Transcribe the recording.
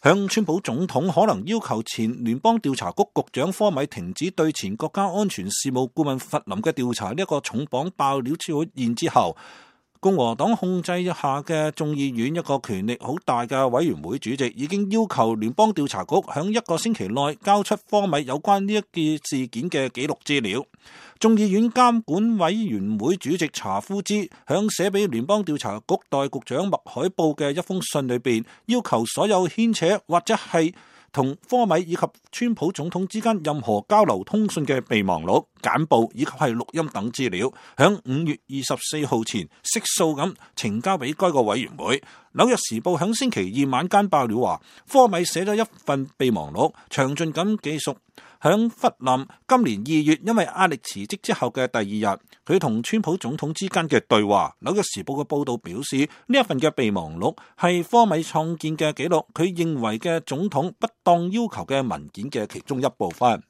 向川普總統可能要求前聯邦調查局局長科米停止對前國家安全事務顧問弗林嘅調查呢一個重磅爆料出現之後，共和黨控制下嘅眾議院一個權力好大嘅委員會主席已經要求聯邦調查局響一個星期內交出科米有關呢一件事件嘅記錄資料。眾議院監管委員會主席查夫茲響寫俾聯邦調查局代局長麥海布嘅一封信裏邊，要求所有牽扯或者係同科米以及川普總統之間任何交流通訊嘅備忘錄、簡報以及係錄音等資料，響5月24號前悉數咁呈交俾該個委員會。紐約時報響星期二晚間爆料話，科米寫咗一份備忘錄，詳盡咁記述響弗林今年2月因為壓力辭職之後嘅第二日，佢同川普總統之間嘅對話。紐約時報嘅報道表示，呢一份嘅備忘錄係科米創建嘅記錄，佢認為嘅總統不當要求嘅文件嘅其中一部分。